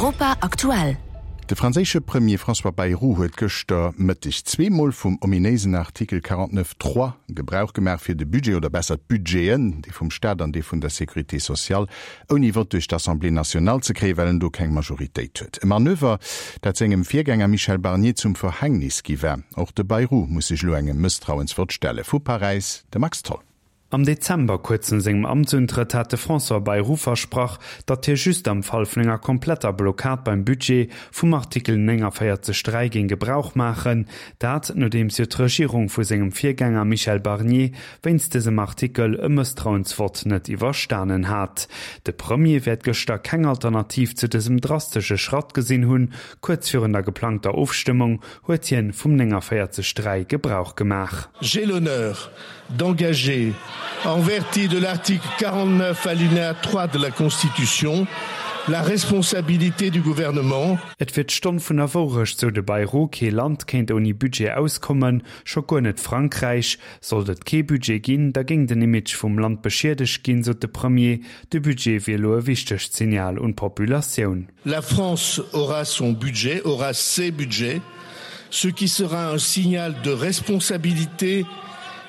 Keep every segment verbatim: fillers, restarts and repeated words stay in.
Europa aktuell. De franséische Premier François Bayrou huet gëschter Mëtteg zweemol vum ominéisen Artikel quarante-neuf trois Gebrauch gemaach, fir de Budget, oder besser d'Budgeten, dee vum Staat an dee vun der Sécurité sociale, ouni Vott duerch d'Assemblée nationale ze kréien, well en do keng Majoritéit huet. E Manöver, dat sengem Virgänger Michel Barnier zum Verhängnis gi war. Och de Bayrou muss sech elo engem Mësstrauensvott stellen. Vu Paräis de Max Tholl. Am Dezember, kuerz no sengem Amtsuntrëtt, hat de François Bayrou versprach, datt hie just am Fall vun enger kompletter Blockad beim Budget vum Artikel nénganvéierzeg dräi géing Gebrauch maachen. Dat, nodeems jo d'Regierung vu sengem Virgänger Michel Barnier wéinst dësem Artikel e Mësstrauensvott net iwwerstanen hat. De Premier wäert gëschter keng Alternativ zu dësem drastesche Schratt gesinn hunn. Kuerz virun der geplangter Ofstëmmung huet hien vum nénganvéierzeg dräi Gebrauch gemaach. J'ai l'honneur d'engager, en vertu de l'article quarante-neuf alinéa trois de la Constitution, la responsabilité du gouvernement. Et wier d'Stonn vun der Wourecht, sou de Bayrou, kee Land kéint ouni Budget auskommen, scho guer net Frankräich. Sollt et kee Budget ginn, da géing den Image vum Land beschiedegt ginn, sot de Premier. De Budget wier elo e wichtegt Signal un d'Populatioun. La France aura son budget, aura ses budgets, ce qui sera un signal de responsabilité,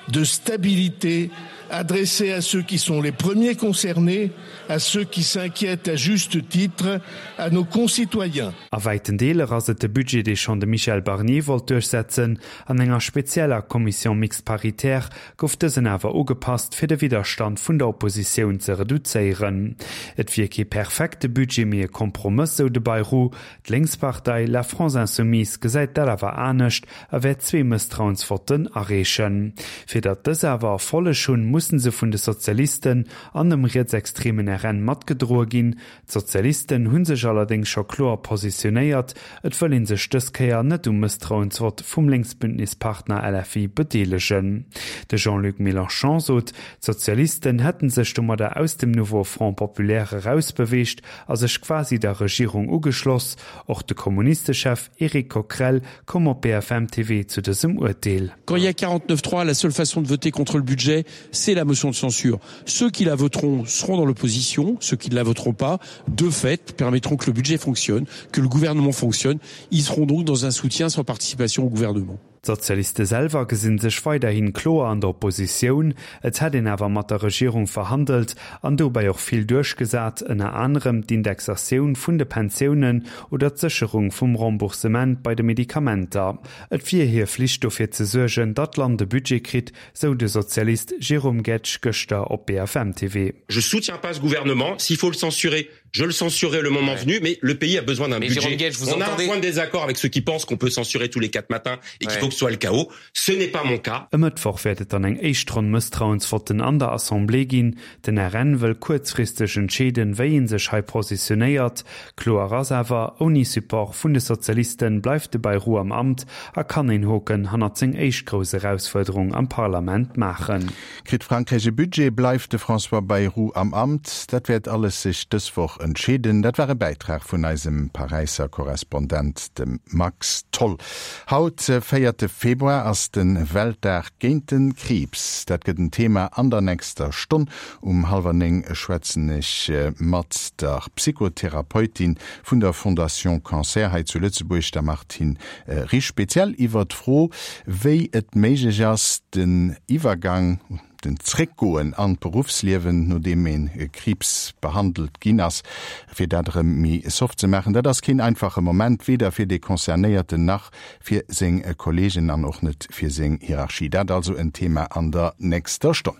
de stabilité adressé à ceux qui sont les premiers concernés, à ceux qui s'inquiètent à juste titre, à nos concitoyens. A wäiten Deeler ass et de Budget, dee schonn de Michel Barnier wollt duerchsetzen. An enger spezieller Commission mixte paritaire gouf dësen awer ugepasst, fir de Widderstand vun der Oppositioun ze reduzéieren. Et wier kee perfekte Budget, mee e Kompromëss, sou de Bayrou. D'Lénkspartei La France Insoumise gesäit dat awer anescht a wäert zwee Mësstrauensvotten areechen. Fir datt dës awer Erfolleg hunn, mussen se vun de Sozialisten an dem rietsextremen R N matgedroe ginn. D'Sozialisten hu sech allerdéngs scho kloer positionéiert, et wëll ee sech dës Kéier net um Mësstrauensvott vum Lénksbündnispartner L F I bedeelegen. De Jean-Luc Mélenchon sot, d'Sozialisten hätten sech domadder aus dem Nouveau Front Populaire erausbeweegt a sech quasi der Regierung ugeschloss. Och de Kommunistechef Éric Coquerel koum op B F M T V zu dësem Urteel. Quand il y a quarante-neuf trois, la seule façon de voter contre le budget, c'est la motion de censure. Ceux qui la voteront seront dans l'opposition, ceux qui ne la voteront pas, de fait, permettront que le budget fonctionne, que le gouvernement fonctionne. Ils seront donc dans un soutien sans participation au gouvernement. D'Sozialiste selwer gesinn sech weiderhin kloer an der Oppositioun. Et hätt een awer mat der Regierung verhandelt an dobäi och vill duerchgesat, ënner anerem d'Indexatioun vun de Pensiounen oder d'Sécherung vum Remboursement bei de Medikamenter. Et wier hir Flicht dofir ze suergen, datt d'Land de Budget kritt, sou de Sozialist Jérôme Guedj gëschter op B F M T V. Je soutiens pas ce gouvernement, s'il faut le censurer, je le censurerai le moment Ouais. venu, mais le pays a besoin d'un Mais budget. Jérôme Guedj, vous On a un entendez point de désaccord avec ceux qui pensent qu'on peut censurer tous les quatre matins et qu'il Ouais. faut que ce soit le chaos. Ce n'est pas mon cas. E Mëttwoch wäert et dann eng éischt Ronn Mësstrauensvotten an der Assemblée ginn. Den R N wëll kuerzfristeg entscheeden, wéi een sech hei positionéiert. Kloer ass awer, ouni Support vun de Sozialisten bleift de Bayrou am Amt a kann een Hoken hannert seng éischt grouss Erausfuerderung am Parlament maachen. Kritt Frankräich e Budget, bleift de François Bayrou am Amt. Dat wäert alles sech dës Woch entscheeden. Dat war e Bäitrag vun eisem Paräisser Korrespondent, dem Max Tholl. Haut, véierte Februar, ass den Weltdag géint den Kriibs. Dat gëtt en Thema an der nächster Stonn. Um hallwer néng schwätzen ech mat der Psychotherapeutin vun der Fondation Cancer hei zu Lëtzebuerg, der Martine Risch, speziell iwwer d'Fro, wéi et méiglech ass, den Iwwergang, den Zréckgoen an d'Beruffsliewen, nodeem een Kriibs behandelt ginn ass, fir dat erëm méi soft ze maachen. Dat ass keen einfache Moment, weder fir de Concernéierten nach fir seng Kollegen an och net fir seng Hierarchie. Dat also en Thema an der nächster Stonn.